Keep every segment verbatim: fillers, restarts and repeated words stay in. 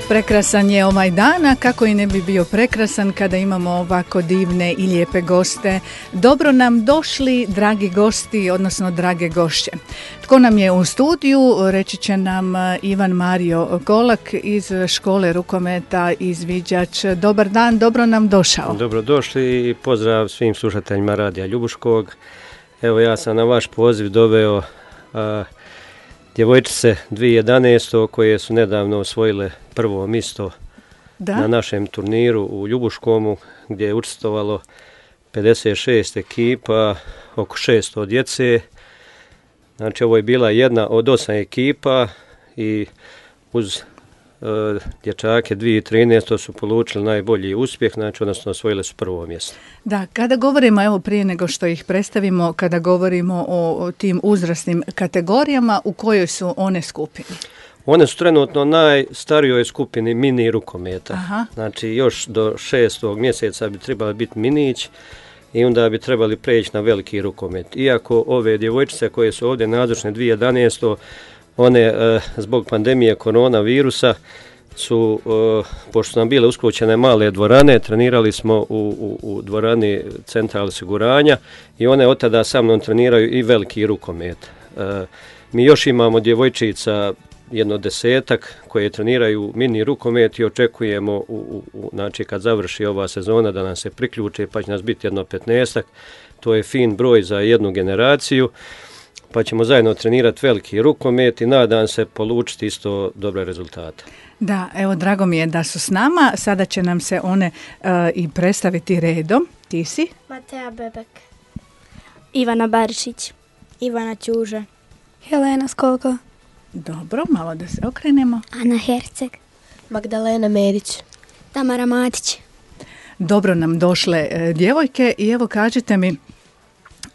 Prekrasan je ovaj dan, a kako i ne bi bio prekrasan kada imamo ovako divne i lijepe goste. Dobro nam došli, dragi gosti, odnosno drage gošće. Tko nam je u studiju, reći će nam Ivan Mario Golak iz škole rukometa Izviđač. Dobar dan, dobro nam došao. Dobrodošli i pozdrav svim slušateljima Radija Ljubuškog. Evo, ja sam na vaš poziv doveo a, djevojčice dvije tisuće jedanaeste. koje su nedavno osvojile prvo mjesto da? na našem turniru u Ljubuškomu, gdje je učestvovalo pedeset šest ekipa, oko šesto djece. Znači, ovo je bila jedna od osam ekipa i uz e, dječake dvije tisuće trinaeste. su polučili najbolji uspjeh, znači odnosno osvojile su prvo mjesto. Da, kada govorimo, evo prije nego što ih predstavimo, kada govorimo o, o tim uzrasnim kategorijama, u kojoj su one skupini? One su trenutno najstarijoj skupini mini rukometa. Aha. Znači, još do šestog mjeseca bi trebali biti minić i onda bi trebali preći na veliki rukomet. Iako ove djevojčice koje su ovdje nazočne dvije tisuće jedanaeste. one e, zbog pandemije koronavirusa su, e, pošto su nam bile uskućene male dvorane, trenirali smo u, u, u dvorani Centra osiguranja i one od tada sa mnom treniraju i veliki rukomet. E, mi još imamo djevojčica jedno desetak koje treniraju mini rukomet i očekujemo u, u, u, znači kad završi ova sezona da nam se priključe, pa će nas biti jedno petnaestak. To je fin broj za jednu generaciju, pa ćemo zajedno trenirati veliki rukomet i nadam se polučiti isto dobre rezultate. Da, evo, drago mi je da su s nama. Sada će nam se one uh, i predstaviti redom. Ti si? Mateja Bebek. Ivana Barišić. Ivana Ćuža. Helena Skolko. Dobro, malo da se okrenemo. Ana Herceg. Magdalena Medić. Tamara Matić. Dobro nam došle e, djevojke i evo kažite mi,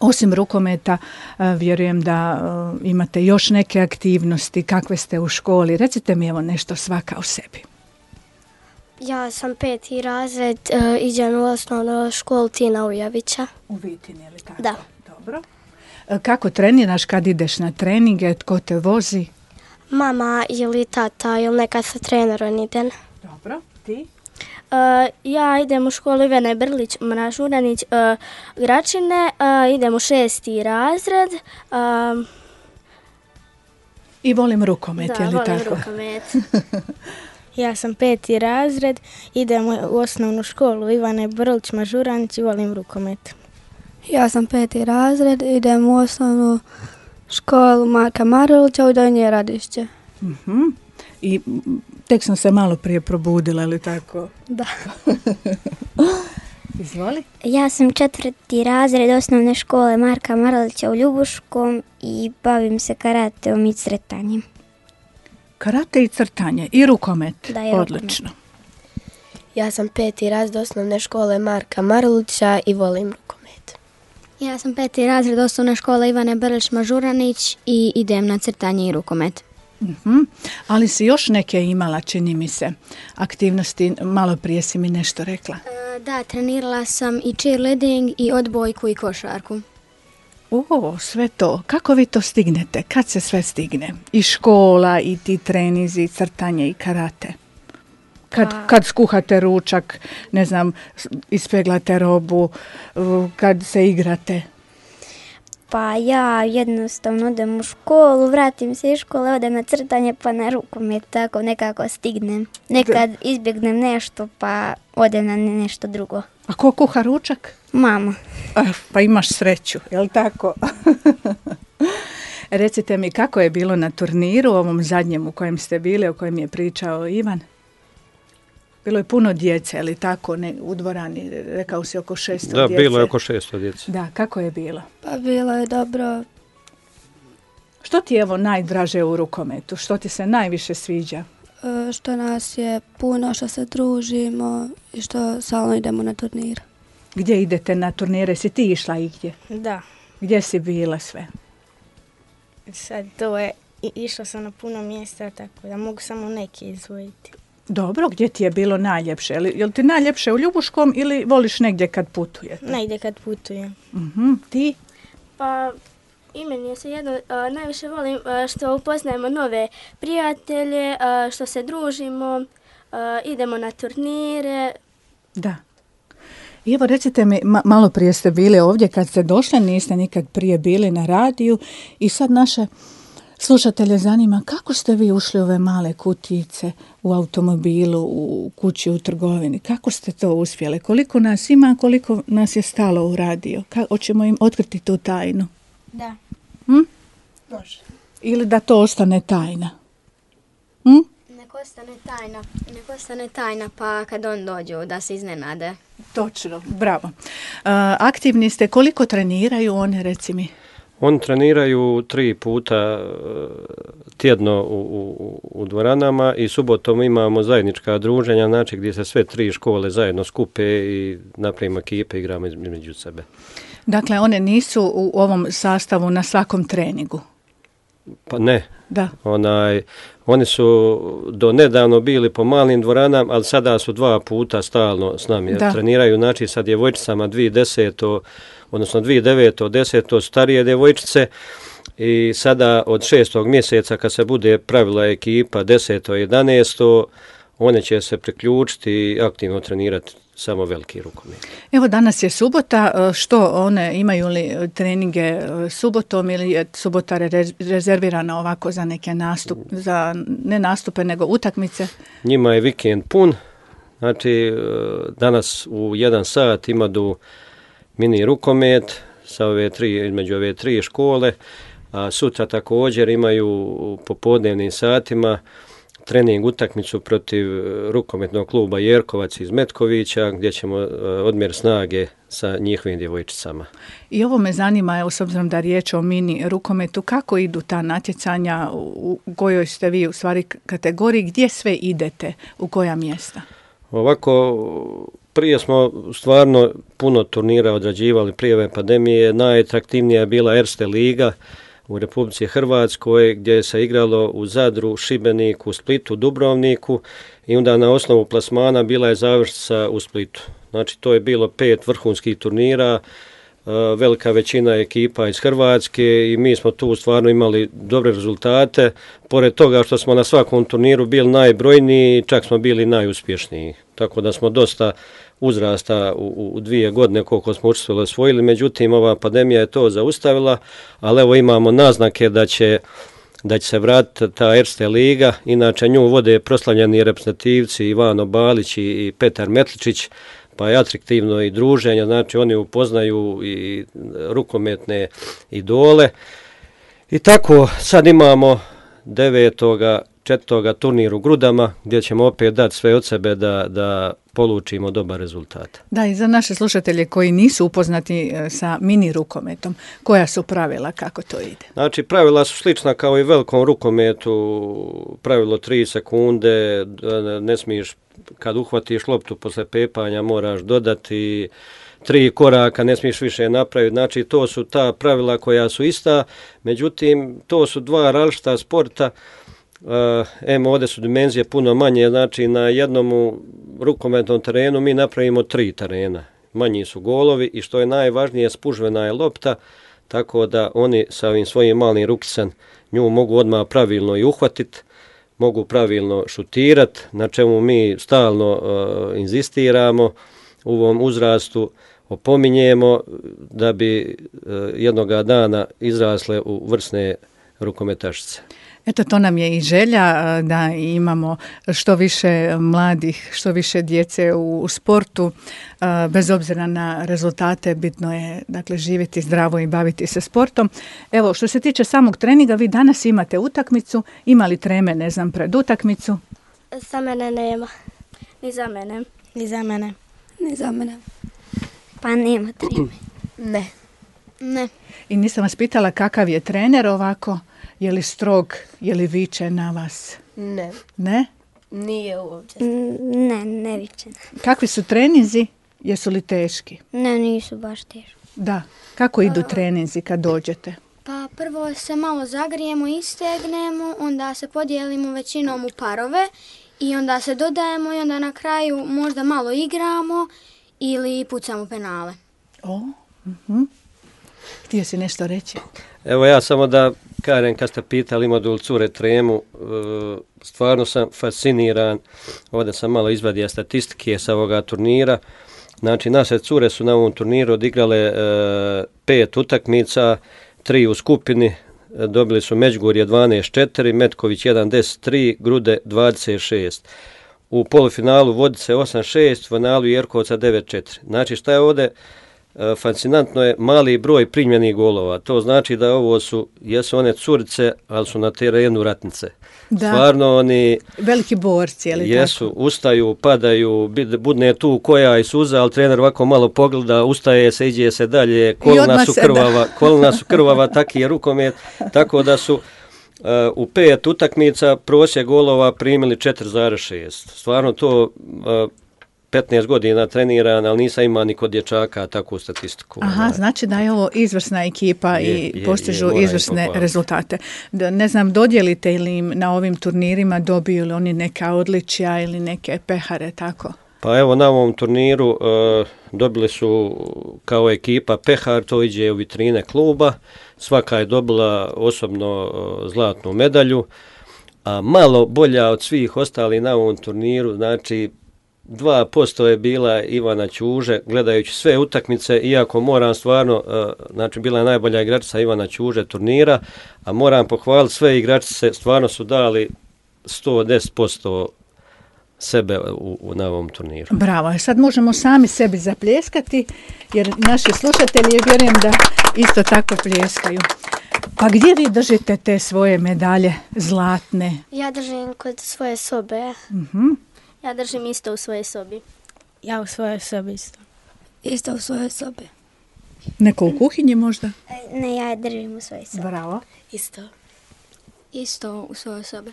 osim rukometa, e, vjerujem da e, imate još neke aktivnosti, kakve ste u školi. Recite mi evo nešto svaka o sebi. Ja sam peti razred, e, idem u osnovnu školu Tina Ujavića. U Vitini, ili tako? Da. Dobro. E, kako treniraš kad ideš na treninge, tko te vozi? Mama ili tata ili nekad sa trenerom idem. Dobro, ti? Uh, ja idem u školu Ivane Brlić, Mražuranić, uh, Gračine, uh, idem u šesti razred. Uh, I volim rukomet, da, je li volim tako? rukomet. Ja sam peti razred, idem u osnovnu školu Ivane Brlić, Mažuranić i volim rukomet. Ja sam peti razred, idem u osnovnu školu Marka Marulića u Donje Radišće. Uh-huh. I tek sam se malo prije probudila, ili tako? Da. Izvoli. Ja sam četvrti razred osnovne škole Marka Marulića u Ljubuškom i bavim se karateom i crtanjem. Karate i crtanje i rukomet. Da, i odlično. rukomet. Ja sam peti razred osnovne škole Marka Marulića i volim rukomet. Ja sam peti razred osnovne škole Ivane Brlić Mažuranić i idem na crtanje i rukomet. Uh-huh. Ali si još neke imala, čini mi se, aktivnosti, malo prije si mi nešto rekla. E, da, trenirala sam i cheerleading i odbojku i košarku. O, sve to. Kako vi to stignete? Kad se sve stigne? I škola, i ti trenizi, i crtanje, i karate. Kad, Pa. kad skuhate ručak, ne znam, ispeglate robu, kad se igrate. Pa ja jednostavno odem u školu, vratim se iz škole, odem na crtanje pa na rukomet, tako nekako stignem. Nekad izbjegnem nešto pa odem na nešto drugo. A ko kuha ručak? Mama. Ah, pa imaš sreću, je li tako? Recite mi, kako je bilo na turniru, ovom zadnjem u kojem ste bili, o kojem je pričao Ivan? Bilo je puno djece, ali tako, ne, u dvorani, rekao si oko šesto da, djece. Da, bilo je oko šesto djece. Da, kako je bilo? Pa bilo je dobro. Što ti je evo najdraže u rukometu? Što ti se najviše sviđa? E, što nas je puno, što se družimo i što stalno idemo na turnir. Gdje idete na turnire? Si ti išla i gdje? Da. Gdje si bila sve? Sad to je, išla sam na puno mjesta, tako da mogu samo neke izvojiti. Dobro, gdje ti je bilo najljepše? Je li ti najljepše u Ljubuškom ili voliš negdje kad putujete? Negdje kad putujem. Uh-huh. Ti? Pa i meni je se jedno, uh, najviše volim uh, što upoznajemo nove prijatelje, uh, što se družimo, uh, idemo na turnire. Da. I evo recite mi, ma, malo prije ste bili ovdje kad ste došli, niste nikad prije bili na radiju i sad naše slušatelje zanima kako ste vi ušli u ove male kutijice u automobilu, u kući, u trgovini. Kako ste to uspjeli? Koliko nas ima, koliko nas je stalo u radio? Ka- hoćemo im otkriti tu tajnu? Da. Hm? Može. Ili da to ostane tajna? Hm? Nek ostane tajna, nek ostane tajna pa kad on dođu da se iznenade. Točno, bravo. Uh, aktivni ste, koliko treniraju one, reci mi? Oni treniraju tri puta tjedno u, u, u dvoranama i subotom imamo zajednička druženja, znači gdje se sve tri škole zajedno skupe i napravimo ekipe, igramo između sebe. Dakle, one nisu u ovom sastavu na svakom treningu? Pa ne. Da. Onaj, oni su do nedavno bili po malim dvoranama, ali sada su dva puta stalno s nami. Da. Treniraju, znači sa djevojčicama dvije deseto, odnosno dvije deveto, deseto starije djevojčice i sada od šestog mjeseca kad se bude pravila ekipa deseto i jedanaesto, one će se priključiti i aktivno trenirati samo veliki rukomet. Evo danas je subota, što one imaju li treninge subotom ili je subota rezervirana ovako za neke nastup, za ne nastupe nego utakmice? Njima je vikend pun, znači danas u jedan sat imaju mini rukomet sa ove tri, između ove tri škole, a sutra također imaju u popodnevnim satima trening utakmicu protiv rukometnog kluba Jerkovac iz Metkovića, gdje ćemo odmjer snage sa njihovim djevojčicama. I ovo me zanima, evo, s obzirom da je riječ o mini rukometu, kako idu ta natjecanja, u kojoj ste vi u stvari kategoriji, gdje sve idete, u koja mjesta? Ovako, prije smo stvarno puno turnira odrađivali prije ove pandemije. Najatraktivnija je bila Erste liga u Republici Hrvatskoj, gdje se igralo u Zadru, Šibeniku, Splitu, Dubrovniku i onda na osnovu plasmana bila je završnica u Splitu. Znači to je bilo pet vrhunskih turnira, velika većina ekipa iz Hrvatske i mi smo tu stvarno imali dobre rezultate. Pored toga što smo na svakom turniru bili najbrojniji, čak smo bili najuspješniji. Tako da smo dosta uzrasta u, u dvije godine koliko smo učestvovali osvojili, međutim ova pandemija je to zaustavila, ali evo imamo naznake da će, da će se vratiti ta Erste liga, inače nju vode proslavljeni reprezentativci Ivano Balić i Petar Metličić, pa je atraktivno i druženje, znači oni upoznaju i rukometne idole. I tako sad imamo devetoga četvrtoga turnir u Grudama, gdje ćemo opet dati sve od sebe da, da polučimo dobar rezultat. Da, i za naše slušatelje koji nisu upoznati sa mini rukometom, koja su pravila, kako to ide? Znači, pravila su slična kao i velikom rukometu, pravilo tri sekunde, ne smiješ, kad uhvatiš loptu posle pepanja, moraš dodati tri koraka, ne smiješ više napraviti. Znači, to su ta pravila koja su ista, međutim, to su dva različita sporta. Uh, em, ovdje su dimenzije puno manje, znači na jednom rukometnom terenu mi napravimo tri terena. Manji su golovi i što je najvažnije, spužvena je lopta, tako da oni sa ovim svojim malim rukicem nju mogu odmah pravilno i uhvatiti, mogu pravilno šutirati, na čemu mi stalno uh, inzistiramo u ovom uzrastu, opominjemo da bi uh, jednoga dana izrasle u vrsne rukometašice. Eto, to nam je i želja da imamo što više mladih, što više djece u, u sportu, bez obzira na rezultate, bitno je dakle živjeti zdravo i baviti se sportom. Evo, što se tiče samog treninga, vi danas imate utakmicu, imali treme, ne znam, pred utakmicu? Za mene nema, ni za mene. Ni za mene. Ni za mene. Pa nema treme. Ne. Ne. I nisam vas pitala kakav je trener ovako? Je li strog, je li viče na vas? Ne. Ne? Nije uopće. Ne, ne viče. Kakvi su treninzi? Jesu li teški? Ne, nisu baš teški. Da. Kako idu treninzi kad dođete? Pa prvo se malo zagrijemo, istegnemo, onda se podijelimo većinom u parove i onda se dodajemo i onda na kraju možda malo igramo ili pucamo penale. O, uh-huh. Htio si nešto reći? Evo ja samo da Karen, kad ste pitali ima li cure tremu, stvarno sam fasciniran. Ovdje sam malo izvadio statistike sa ovoga turnira. Znači, naše cure su na ovom turniru odigrale e, pet utakmica, tri u skupini, dobili su Međugorje dvanaest četiri, Metković jedan deset tri, Grude dvadeset šest. U polufinalu Vodice osam šest, u finalu Jerkovca devet četiri. Znači, šta je ovdje e, fascinantno je mali broj primljenih golova. To znači da ovo su, jesu one curice, ali su na terenu ratnice. Da. Stvarno oni veliki borci, je li jesu, tako? ustaju, padaju, budne tu koja i suza, ali trener ovako malo pogleda, ustaje se, iđe se dalje, kolna su krvava, kolna su krvava, taki je rukomet, tako da su uh, u pet utakmica prosjek golova primili četiri zarez šest. Stvarno to uh, petnaest godina treniran, ali nisam imao ni kod dječaka takvu statistiku. Aha, znači da je ovo izvrsna ekipa je, i je, postižu je, izvrsne rezultate. Da, ne znam, dodijelite li im na ovim turnirima, dobiju li oni neka odličja ili neke pehare, tako? Pa evo na ovom turniru uh, dobili su kao ekipa pehar, to iđe u vitrine kluba, svaka je dobila osobno uh, zlatnu medalju, a malo bolja od svih ostalih na ovom turniru, znači dva posto je bila Ivana Ćuže, gledajući sve utakmice, iako moram stvarno, znači bila je najbolja igračica Ivana Ćuže turnira, a moram pohvaliti sve igračice, stvarno su dali sto deset posto sebe u, u, na ovom turniru. Bravo, sad možemo sami sebi zapljeskati, jer naši slušatelji, vjerujem da isto tako pljeskaju. Pa gdje vi držite te svoje medalje zlatne? Ja držim kod svoje sobe. Mhm. Ja držim isto u svojoj sobi. Ja u svojoj sobi isto. Isto u svojoj sobi. Neko u kuhinji možda? Ne, ja je držim u svojoj sobi. Bravo. Isto. Isto u svojoj sobi.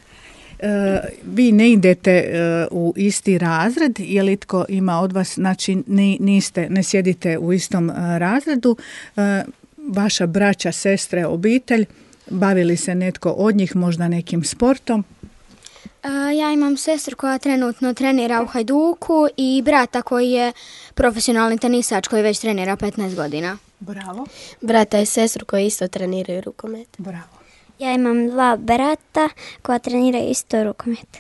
E, vi ne idete e, u isti razred, je li tko ima od vas, znači ni, niste, ne sjedite u istom e, razredu, e, vaša braća, sestre, obitelj, bavili se netko od njih možda nekim sportom? Uh, ja imam sestru koja trenutno trenira u Hajduku i brata koji je profesionalni tenisač koji već trenira petnaest godina. Bravo. Brata i sestru koji isto treniraju rukomet. Bravo. Ja imam dva brata koja treniraju isto rukomet.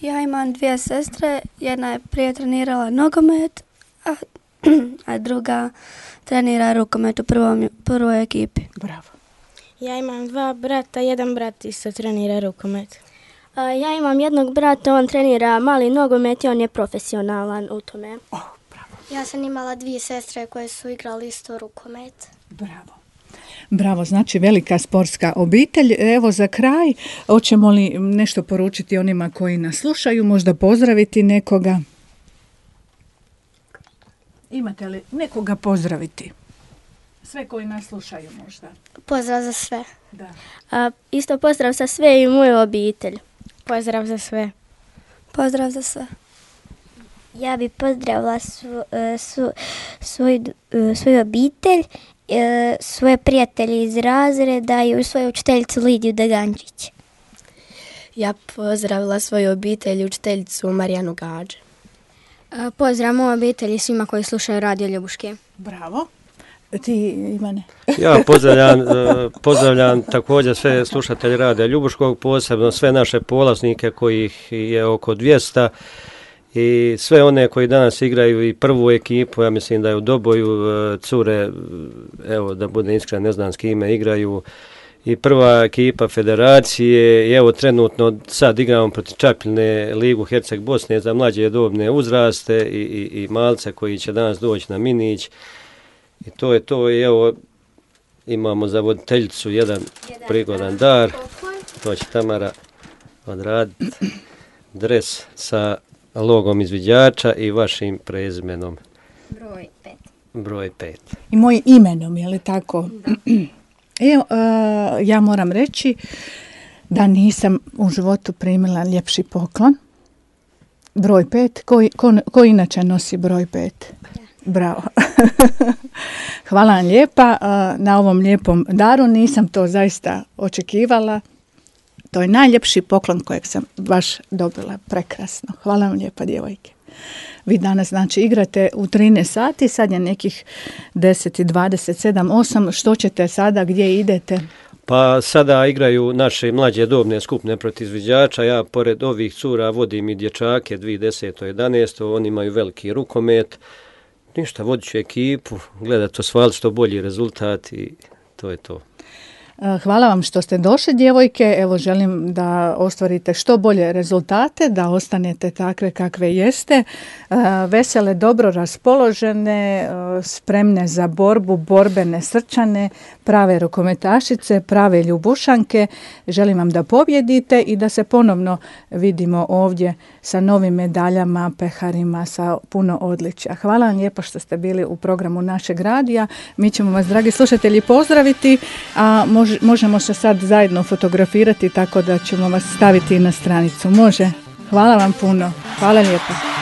Ja imam dvije sestre, jedna je prije trenirala nogomet, a, a druga trenira rukomet u prvom, prvoj ekipi. Bravo. Ja imam dva brata, jedan brat isto trenira rukomet. Uh, ja imam jednog brata, on trenira mali nogomet i on je profesionalan u tome. Oh, bravo. Ja sam imala dvije sestre koje su igrali isto rukomet. Bravo. Bravo, znači velika sportska obitelj. Evo za kraj, hoćemo li nešto poručiti onima koji nas slušaju, možda pozdraviti nekoga? Imate li nekoga pozdraviti? Sve koji nas slušaju možda. Pozdrav za sve. Da. Uh, isto pozdrav za sve i moju obitelj. Pozdrav za sve. Pozdrav za sve. Ja bi pozdravila su, su, svoj, svoju obitelj, svoje prijatelje iz razreda i svoju učiteljicu Lidiju Dagančić. Ja pozdravila svoju obitelj i učiteljicu Marijanu Gađe. Uh, pozdrav moju obitelji svima koji slušaju Radio Ljubuške. Bravo. Ti, Ivane? Ja pozdravljam, pozdravljam također sve slušatelje Radija Ljubuškog, posebno sve naše polaznike kojih je oko dvjesto i sve one koji danas igraju i prvu ekipu, ja mislim da je u Doboju cure, evo da bude iskren, ne znam s kime igraju, i prva ekipa federacije, i evo trenutno sad igramo protiv Čapljine Ligu Herceg Bosne za mlađe dobne uzraste i, i, i malce koji će danas doći na Minić. I to je to i evo imamo za voditeljicu jedan, jedan prigodan dar, to će Tamara odraditi, dres sa logom izviđača i vašim prezimenom. Broj pet. Broj pet. I mojim imenom, je li tako? Evo, uh, ja moram reći da nisam u životu primila ljepši poklon. Broj pet, ko, ko, ko inače nosi broj pet? Bravo. Hvala vam lijepa na ovom lijepom daru. Nisam to zaista očekivala. To je najljepši poklon kojeg sam baš dobila. Prekrasno. Hvala vam lijepa, djevojke. Vi danas znači igrate u trinaest sati, sad je nekih deset, dvadeset sedam, osam. Što ćete sada, gdje idete? Pa sada igraju naše mlađe dobne skupine protiv izviđača. Ja pored ovih cura vodim i dječake dvije tisuće desete jedanaeste Oni imaju veliki rukomet. Ništa, vodit ću ekipu, gledati osvajati što bolji rezultat i to je to. Hvala vam što ste došli, djevojke. Evo, želim da ostvarite što bolje rezultate, da ostanete takve kakve jeste. Vesele, dobro raspoložene, spremne za borbu, borbene, srčane, prave rukometašice, prave ljubušanke. Želim vam da pobjedite i da se ponovno vidimo ovdje sa novim medaljama, peharima, sa puno odličja. Hvala vam lijepo što ste bili u programu našeg radija. Mi ćemo vas, dragi slušatelji, pozdraviti, a možemo se sad zajedno fotografirati, tako da ćemo vas staviti na stranicu. Može? Hvala vam puno. Hvala lijepo.